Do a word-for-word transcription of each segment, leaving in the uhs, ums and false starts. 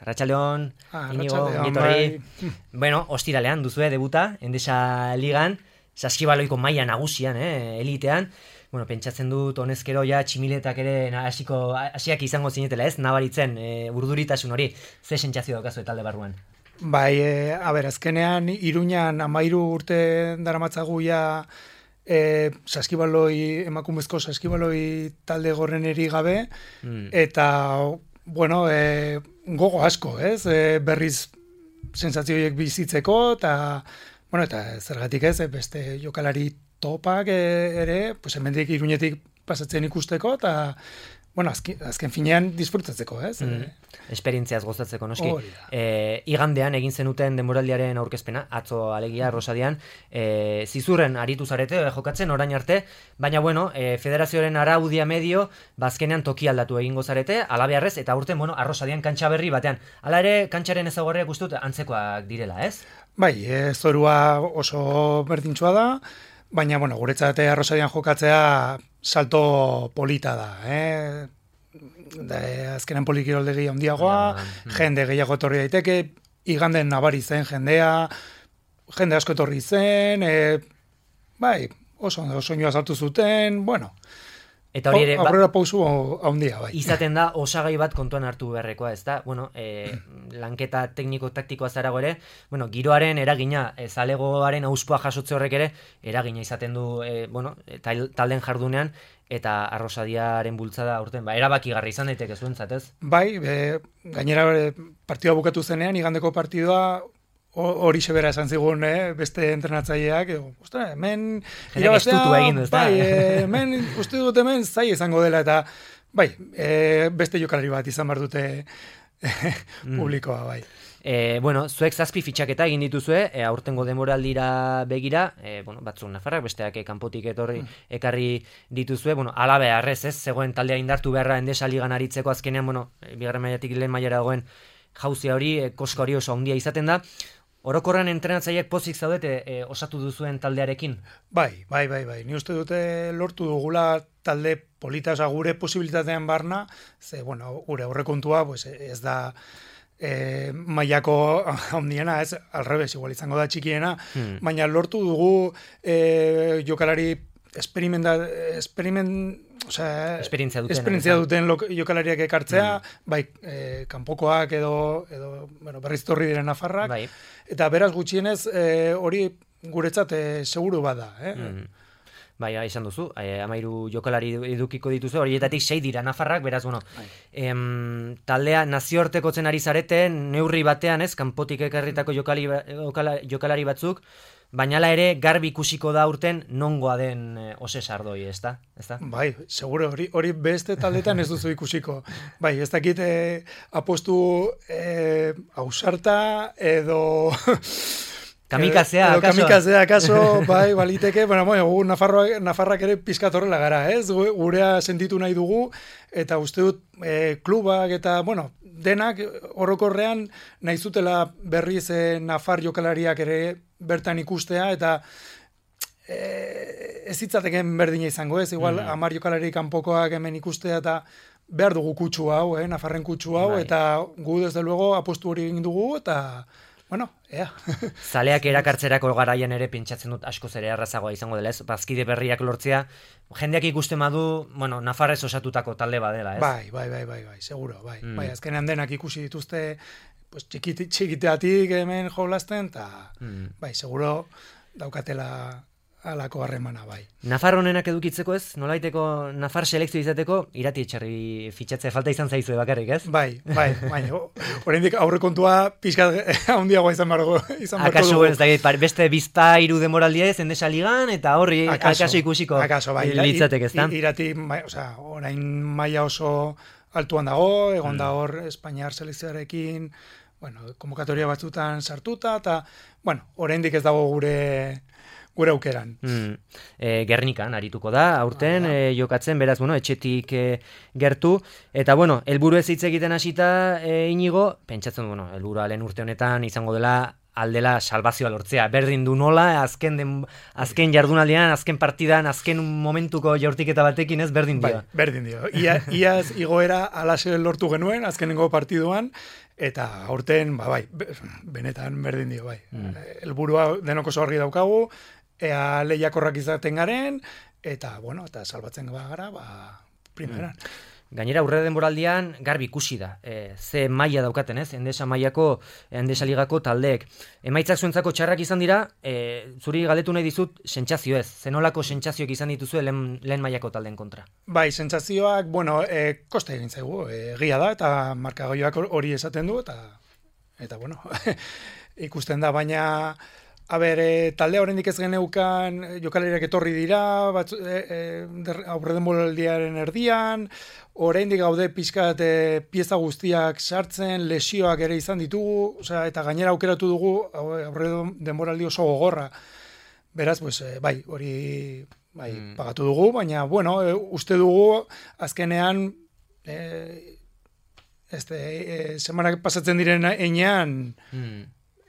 Arratsaldeon, Ah, Inigo, arratsaldeon, ongitorri. bai. Bueno, ostiralean duzue debuta, Endesa Ligan, saskibaloiko maila nagusian, eh, elitean. Bueno, pentsatzen dut honezkero ja tximiletak ere hasiko hasiak izango zinetela, ez? Nabaritzen, e, urduritasun hori. Ze sentsazio daukazu talde barruan? Bai, e, a ber, azkenean Iruñan hamairu urte daramatzagu ja e, saskibaloi, emakumezko saskibaloi talde gorreneri gabe, Mm. eta, bueno, e, gogo asko, ez? E, berriz sentsazioiek bizitzeko, eta, bueno, eta zergatik ez, e, beste jokalari topak e, ere, pues hemendik Iruñetik pasatzen ikusteko, eta, bueno, azken, azken finean disfrutatzeko, ez? Mm. Esperientziaz gozatzeko, noski. Hori da. E, igandean egin zenuten denboraldiaren aurkezpena, atzo alegia, Rosadian, e, zizurren aritu zarete, e, jokatzen orain arte, baina bueno, e, federazioaren araudia medio, bazkenean toki aldatu egingo zarete, alabearrez, eta urten, bueno, Arrosadian kantxa berri batean. Hala ere, kantxaren ezaugarriak uste dut antzekoak direla, ez? Bai, e, zorua oso berdintsua da, baina, bueno, guretzat Arrosadian jokatzea salto polita da, eh? Da, e, azkenan polikiroldegi handiagoa, Mm. jende gehiago etorri daiteke, iganden nabari zen jendea, jende asko etorri zen, e, bai, oso ondo soinua saltu zuten, bueno, Eta hori ere, ba- aurrera pausu handia, bai. izaten da osagai bat kontuan hartu beharrekoa, ez da? Bueno, e, lanketa tekniko-taktikoa zarago ere, bueno, giroaren eragina, e, zalegoaren auspoa jasotze horrek ere, eragina izaten du, e, bueno, tal, talden jardunean, eta Arrosadiaren bultzada aurten, ba, erabakigarri izan daiteke zuentzat, ez? Bai, e, gainera e, partidua bukatu zenean, igandeko partidua hori sebera esan zigun, eh, beste entrenatzaileak, edo, ostra, hemen Jendek estutu egin du, ez da? bai, e, hemen uste dut hemen zai izango dela, eta bai, e, beste jokalari bat izan behar dute publikoa, bai. E, bueno, zuek zazpi fitxaketa egin dituzue, e, aurtengo denboraldira begira, e, bueno, batzuk nafarrak, besteak e, kanpotik etorri ekarri dituzue, bueno, alabe arrez, ez, zegoen taldea indartu beharra Endesa Ligan aritzeko azkenean, bueno, e, bigarren mailatik lehen mailara dagoen jauzia hori, e, koska hori oso handia izaten da. Orokorran entrenatzaileak pozik zaudete e, osatu duzuen taldearekin? Bai, bai, bai, bai. Ni uste dute lortu dugula talde polita, oza, gure posibilitatean barna, ze, bueno, gure aurrekontua, pues, ez da e, mailako handiena, ez, alrebes, igual izango da txikiena, Hmm. baina lortu dugu e, jokalari experimenta, experiment, osea, Esperientzia duten. esperientzia duten lo, jokalariak ekartzea, bai, e, kanpokoak edo, edo bueno, berriz torri diren nafarrak, Bai. eta beraz gutxienez e, hori guretzat e, seguru bada, eh? Mm. Bai, bai, esan duzu, eh, amairu jokalari edukiko dituzu, horietatik sei dira nafarrak, beraz, bueno, em, taldea nazioartekotzen ari zareten, neurri batean, ez, kanpotik ekarritako jokali, jokala, jokalari batzuk, baina hala ere garbi ikusiko da urten nongoa den e, ose sardoi, ez da? Ez da? Bai, seguro, hori, hori beste taldetan ez duzu ikusiko. Bai, ez dakit eh, apostu eh, ausarta edo... Kamikazea, edo akaso? Kamikazea, akaso, bai, baliteke, bueno, bueno, gu Nafarroak, Nafarrak ere pizkat horrela gara, ez? Gu- Gurea sentitu nahi dugu, eta uste dut eh, klubak eta, bueno, denak orokorrean nahi zutela berriz eh, Nafar jokalariak ere bertan ikustea, eta eh, ez hitzateken berdina izango, ez? Igual, Mm. hamar jokalari kanpokoak hemen ikustea, eta behar dugu kutsu hau, eh? Nafarren kutsu hau, Bai. eta gu desde luego apostu hori egin dugu, eta, bueno, ea. Zaleak erakartzerako garaian ere pentsatzen dut askoz ere errazagoa izango dela, ez? Bazkide berriak lortzea, jendeak ikusten badu, bueno, Nafarrez osatutako talde badela, ez? Bai, bai, bai, bai, bai, seguro, bai. Mm. Bai, azkenean denak ikusi dituzte, pues, txikiti, txikiteatik hemen jolasten, eta, Mm. bai, seguro daukatela alako harremana, bai. Nafar honenak edukitzeko ez, nolaiteko Nafar selekzio izateko, irati etxarri fitxatze falta izan zaizue bakarrik, ez? Bai, bai, baina, oraindik aurrekontua pixkat handiagoa izan bargo, izan barko Akaso, dugu. ez da, par- beste bizpa hiru demoraldia ez, Endesa Ligan, eta horri akaso, ikusiko akaso, bai, litzateke, ez da? i- Irati, bai, osea, orain maila oso altuan dago, egon Mm. da hor Espainiar selekzioarekin, bueno, konvokatoria batzutan sartuta, eta, bueno, oraindik ez dago gure gure aukeran. Mm. E, Gernikan arituko da, aurten Ah, e, jokatzen, beraz, bueno, etxetik e, gertu, eta, bueno, helburu ez hitz egiten hasita e, Inigo, pentsatzen, bueno, helburua lehen urte honetan izango dela aldela salvazioa lortzea. Berdin du nola, azken, den, azken jardunaldian, azken partidan, azken momentuko jaurtiketa batekin ez, berdin dio. Bai, berdin dio. Ia, iaz igoera alaxe lortu genuen, azkenengo partiduan, eta aurten, ba, bai, benetan berdin dio, bai. Mm. Helburua denok oso argi daukagu, ea lehiakorrak izaten garen, eta, bueno, eta salbatzen gara, ba, primeran. Mm. Gainera, aurre denboraldian garbi ikusi da. E, ze maila daukaten, ez? Endesa mailako, Endesa ligako taldeek. Emaitzak zuentzako txarrak izan dira, e, zuri galdetu nahi dizut, sentsazio ez. Zenolako sentsazioak izan dituzu lehen, lehen mailako taldeen kontra? Bai, sentsazioak, bueno, e, kosta egin zaigu, egia da, eta markagoioak hori esaten du, eta, eta bueno, ikusten da, baina... A ber, e, taldea oraindik ez geneukan, jokalariak etorri dira, batzu, e, e, aurredenboraldiaren erdian, oraindik gaude pixkat e, pieza guztiak sartzen, lesioak ere izan ditugu, osea, eta gainera aukeratu dugu aurredenboraldi oso gogorra. Beraz, pues, e, bai, hori bai, mm. pagatu dugu, baina, bueno, e, uste dugu azkenean, e, este, e, semanak pasatzen diren enean, mm.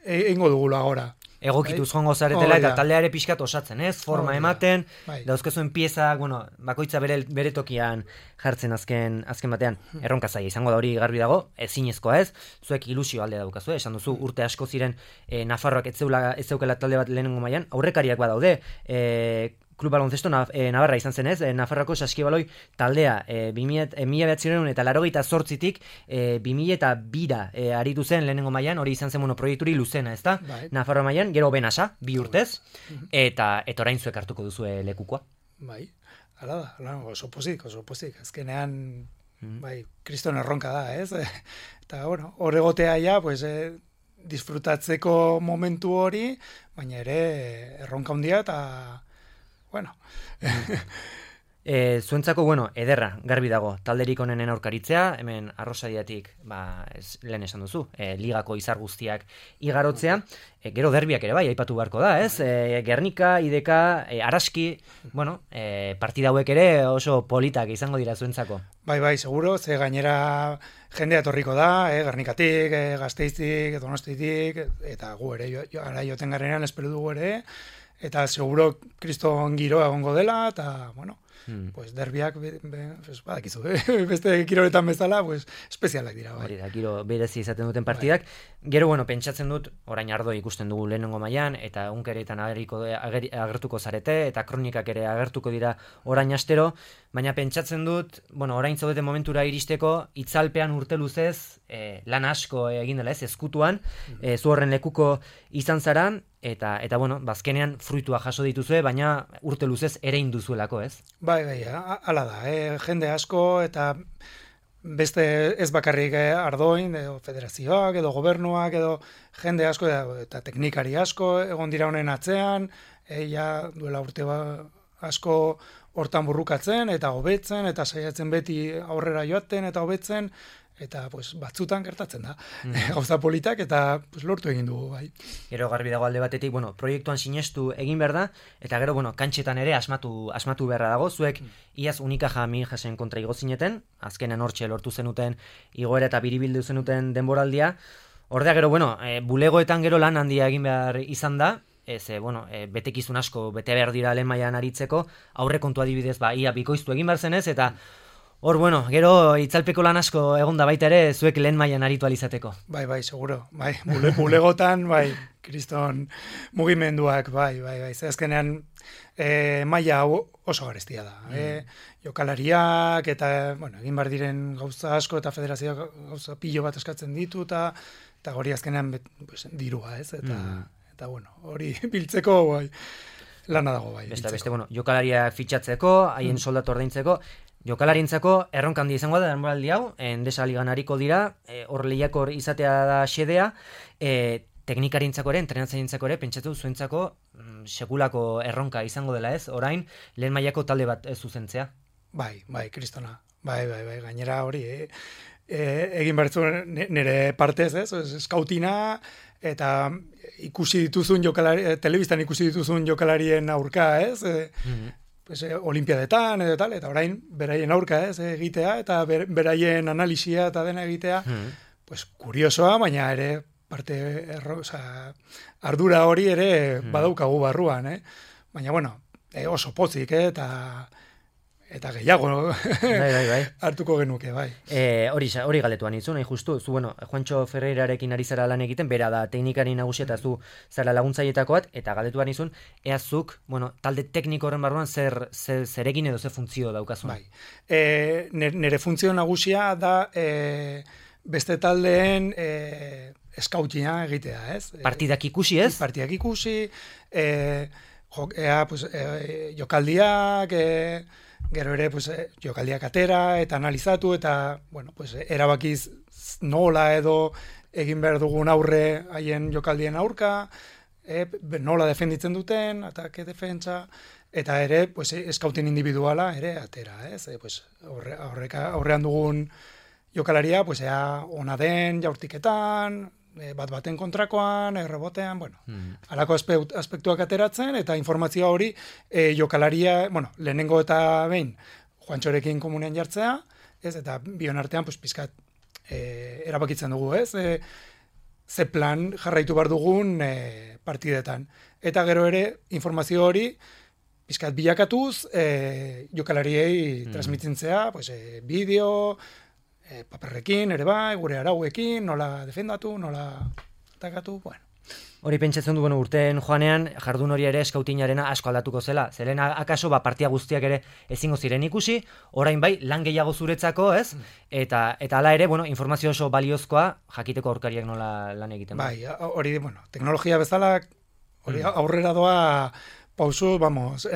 egingo e, dugula agora. Egokituz jongo zaretela, eta taldeare pixkat osatzen, ez? Forma ematen, dauzkezuen piezak, bueno, bakoitza bere, bere tokian jartzen azken azken batean. Erronka zaila izango da hori garbi dago, ezinezkoa ez, zuek ilusio alde daukazu, esan duzu, urte asko ziren e, Nafarroak ez zeukela talde bat lehenengo mailan, aurrekariak badaude, e, Klub Baloncesto e, Navarra izan zen ez, e, Nafarroako Saskibaloi taldea e, mila bederatziehun eta laurogeita zortzitik e, bi mila eta bira e, aritu zen lehenengo mailan, hori izan zen bueno, proiekturi luzena, ezta? Bai. Nafarroa mailan, gero benasa, bi urtez, eta eta orain zuek hartuko duzue lekukoa. Bai, hala da, hala, oso pozik, oso pozik, azkenean, mm. bai, kriston erronka da, ez? Eta, bueno, horregotea ja, pues, eh, disfrutatzeko momentu hori, baina ere erronka handia eta bueno. e, zuentzako, bueno, ederra, garbi dago, talderik onenen aurkaritzea, hemen arrosadiatik, ba, ez, lehen esan duzu, e, ligako izar guztiak igarotzea, e, gero derbiak ere bai, aipatu beharko da, ez? E, Gernika, Ideka, e, Araski, bueno, e, partida hauek ere oso politak izango dira zuentzako. Bai, bai, seguro, ze gainera jendea etorriko da, eh, Gernikatik, eh, Gasteizik, Donostitik, eta gu ere, jo, jo, ara joten garenean espero dugu ere, eta seguro kriston giroa egongo dela, eta, bueno, hmm. pues derbiak, be, be, pues, badakizu, eh? beste kiroletan bezala, pues, espezialak dira. Bai. Hori da, giro berezi izaten duten partidak. Bai. Gero, bueno, pentsatzen dut, orain ardo ikusten dugu lehenengo mailan, eta egunkeretan ageriko, ager, agertuko zarete, eta kronikak ere agertuko dira orain astero, baina pentsatzen dut, bueno, orain zaudeten momentura iristeko, itzalpean urte luzez, eh, lan asko egin dela ez, ezkutuan, hmm. eh, zu horren lekuko izan zara, Eta, eta bueno, bazkenean fruitua jaso dituzue, baina urte luzez ere induzuelako, ez? Bai, bai, hala da, eh? Jende asko, eta beste ez bakarrik ardoin, edo federazioak, edo gobernuak, edo jende asko, eta teknikari asko, egon dira honen atzean, e, ja duela urte ba, asko hortan burrukatzen, eta hobetzen, eta saiatzen beti aurrera joaten, eta hobetzen, eta pues, batzutan gertatzen da. Mm. Gauza politak eta pues, lortu egin dugu, bai. Gero garbi dago alde batetik, bueno, proiektuan sinestu egin behar da, eta gero, bueno, kantxetan ere asmatu, asmatu beharra dago, zuek mm. iaz Unicaja Minjasen kontra igo zineten, azkenen hortxe lortu zenuten igoera eta biribildu zenuten denboraldia, ordea gero, bueno, e, bulegoetan gero lan handia egin behar izan da, ez, e, bueno, e, betekizun asko, bete behar dira lehen mailan aritzeko, aurre kontu adibidez, ba, ia bikoiztu egin behar zenez, eta hor, bueno, gero itzalpeko lan asko egon da baita ere, zuek lehen mailan aritu alizateko. Bai, bai, seguro. Bai, bule, bulegotan, bai, kriston mugimenduak, bai, bai, bai. Azkenean e, maila oso garestia da. Mm. E, jokalariak, eta, bueno, egin bar diren gauza asko, eta federazioak gauza pilo bat eskatzen ditu, eta, eta hori azkenean bet, pues, dirua, ez? Eta, mm. eta bueno, hori biltzeko, bai, lana dago, bai. Beste, beste, bueno, jokalariak fitxatzeko, haien mm. soldatu ordaintzeko, jokalarintzako erronka handi izango da denboraldi hau, Endesa ligan ariko dira, hor e, lehiakor izatea da xedea, e, teknikarintzako ere, entrenatzaileentzako ere, pentsatu zuentzako mm, sekulako erronka izango dela ez, orain lehen mailako talde bat ez zuzentzea. Bai, bai, kristona, bai, bai, bai, gainera hori, e, e, egin bertzu nire partez ez, eskautina, eta ikusi dituzun jokalari, telebistan ikusi dituzun jokalarien aurka ez, e, mm-hmm. pues, eh, olimpiadetan edo tal, eta orain beraien aurka ez egitea, eta ber, beraien analisia eta dena egitea, mm. pues kuriosoa, baina ere parte erro, oza, ardura hori ere mm. badaukagu barruan, eh? Baina bueno, eh, oso potzik, eh? eta eta gehiago bai, bai, bai. hartuko genuke, bai. E, hori, hori galetuan itzu, nahi justu, zu, bueno, Juancho Ferreirarekin ari zara lan egiten, bera da teknikari nagusia eta zu zara laguntzailetako bat, eta galetuan izun, eazuk, bueno, talde tekniko horren barruan zer, zer, zerekin edo zer funtzio daukazun. Bai, e, nire funtzio nagusia da e, beste taldeen e, eskautina egitea, ez? Partidak ikusi, ez? Partidak ikusi, e, jo, ea, pues, e, jokaldiak, e, gero ere pues, jokaldiak atera eta analizatu eta bueno, pues, erabakiz nola edo egin behar dugun aurre haien jokaldien aurka, e, nola defenditzen duten, atake defentsa, eta ere pues, eskautin individuala ere atera. Ez? E, pues, aurre, aurreka, aurrean dugun jokalaria pues, ea ona den jaurtiketan, bat baten kontrakoan, errebotean, bueno, mm. alako aspektuak ateratzen, eta informazioa hori e, jokalaria, bueno, lehenengo eta behin, Juantxorekin komunean jartzea, ez, eta bion artean, pues, pizkat, e, erabakitzen dugu, ez, e, ze plan jarraitu bar dugun e, partidetan. Eta gero ere, informazio hori, pizkat bilakatuz, e, jokalariei mm. transmitintzea, pues, e, bideo, E, paperrekin, ere bai, gure arauekin, nola defendatu, nola atakatu, bueno. Hori pentsatzen du, bueno, urteen joanean, jardun hori ere eskautinarena asko aldatuko zela. Zeren akaso, ba, partia guztiak ere ezingo ziren ikusi, orain bai, lan gehiago zuretzako, ez? Eta, eta ala ere, bueno, informazio oso baliozkoa, jakiteko aurkariak nola lan egiten. Bai, hori, bueno, teknologia bezala, hori aurrera doa pausu, vamos,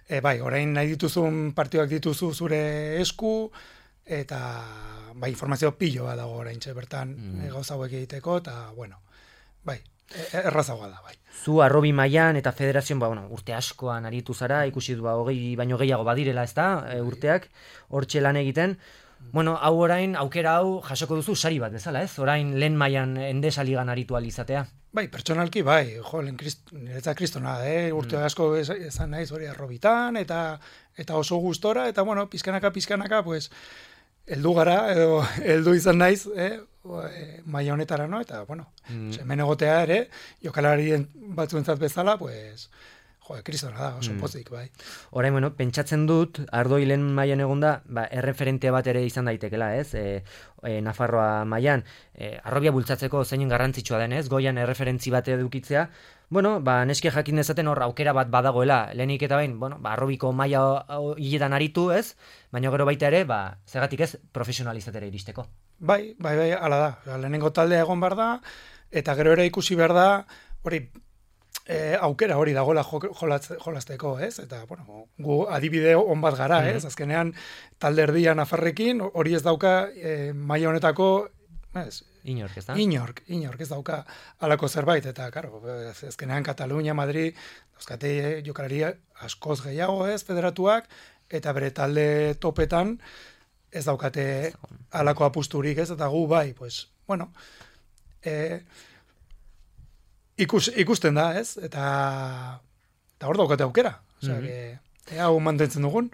e, bai, orain nahi dituzun partioak dituzu zure esku, eta bai, informazio piloa dago oraintxe bertan mm. gauza hauek egiteko, eta, bueno, bai, errazagoa da, bai. Zu arrobi mailan eta federazioan, ba, bueno, urte askoan aritu zara, ikusi du, ba, hogei baino gehiago badirela, ez da, e, urteak, hortxe lan egiten. Bueno, hau orain, aukera hau jasoko duzu sari bat bezala, ez? Orain lehen mailan Endesa ligan aritu alizatea. Bai, pertsonalki, bai, jo, lehen krist, niretzat kristona, eh? urte mm. asko ezan naiz hori arrobitan, eta, eta oso gustora, eta, bueno, pizkanaka, pizkanaka, pues, heldu gara, edo heldu izan naiz, eh, maila honetara, no? Eta, bueno, mm. hemen egotea ere, jokalarien batzuentzat bezala, pues, jo, kristona da, oso mm. pozik, bai. Orain, bueno, pentsatzen dut, Ardoi lehen mailan egonda, ba, erreferente bat ere izan daitekela, ez? E, e, Nafarroa mailan, e, arrobia bultzatzeko zeinen garrantzitsua denez, goian erreferentzi bat edukitzea, bueno, ba, neske jakin dezaten hor aukera bat badagoela, lehenik eta bain, bueno, ba, arrobiko maila hiletan aritu, ez? Baina gero baita ere, ba, zergatik ez, profesionalizatera iristeko. Bai, bai, bai, ala da. Lehenengo taldea egon behar da, eta gero ere ikusi behar da, hori, e, aukera hori dagoela jolazteko, ez? Eta, bueno, gu adibide on bat gara, ez? Azkenean, talde erdia Nafarrekin, hori ez dauka e, maila honetako, ez? Inork, ez da? Inork, inork, ez dauka alako zerbait, eta, karo, ezkenean Katalunia, Madrid, dauzkate jokalaria askoz gehiago, ez, federatuak, eta bere talde topetan ez daukate alako apusturik, ez, eta gu bai, pues, bueno, e, ikus, ikusten da, ez, eta, eta hor daukate aukera, osea, mm-hmm. que... Hau mantentzen dugun.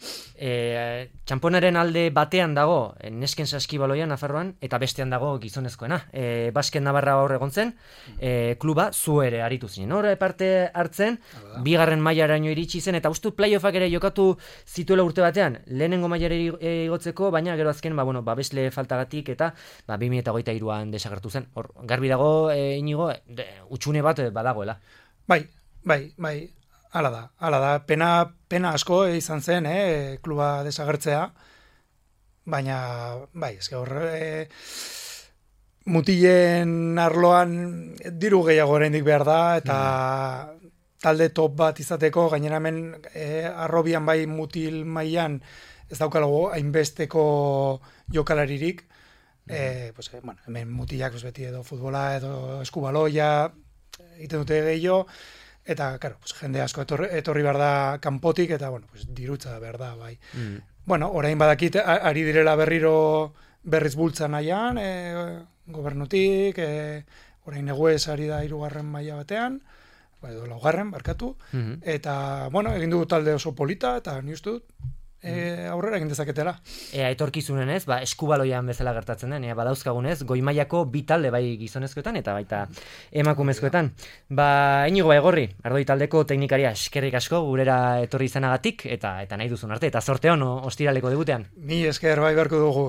E, txamponaren alde batean dago nesken saskibaloia Nafarroan, eta bestean dago gizonezkoena. E, Basket Navarra hor egon zen, e, kluba zu ere aritu zinen. Hor parte hartzen, bigarren mailaraino iritsi zen, eta uste playoffak ere jokatu zituela urte batean, lehenengo mailara igotzeko, baina gero azken, ba, bueno, babesle faltagatik, eta ba, bi mila hogeita hiruan desagertu zen. Hor, garbi dago, e, inigo, de, utxune bat badagoela. Bai, bai, bai. Hala da, hala da, pena, pena asko izan zen, eh, kluba desagertzea, baina, bai, ezke horre, e, mutilen arloan diru gehiago oraindik behar da, eta mm. talde top bat izateko, gainera hemen e, arrobian bai mutil mailan ez daukalago hainbesteko jokalaririk, mm. e, pues, bueno, hemen mutilak pues, beti edo futbola, edo eskubaloia, egiten dute gehiago, eta, claro, pues, jende asko etorri, etorri behar da kanpotik, eta, bueno, pues, dirutza behar da, bai. Mm. Bueno, orain badakit, ari direla berriro berriz bultzan nahian, e, gobernutik, e, orain eguez ari da hirugarren maila batean, edo laugarren, barkatu, mm-hmm. eta, bueno, egin dugu talde oso polita, eta ni uste dut, e, aurrera egin dezaketela. Ea etorkizunen ez, ba, eskubaloian bezala gertatzen den, ea badauzkagunez, goi mailako bi talde bai gizonezkoetan eta baita emakumezkoetan. Ba, Inigo Baigorri, Ardoi taldeko teknikaria eskerrik asko gurera etorri izanagatik eta eta nahi duzun arte, eta sorte on ostiraleko debutean. Mi esker bai beharko dugu.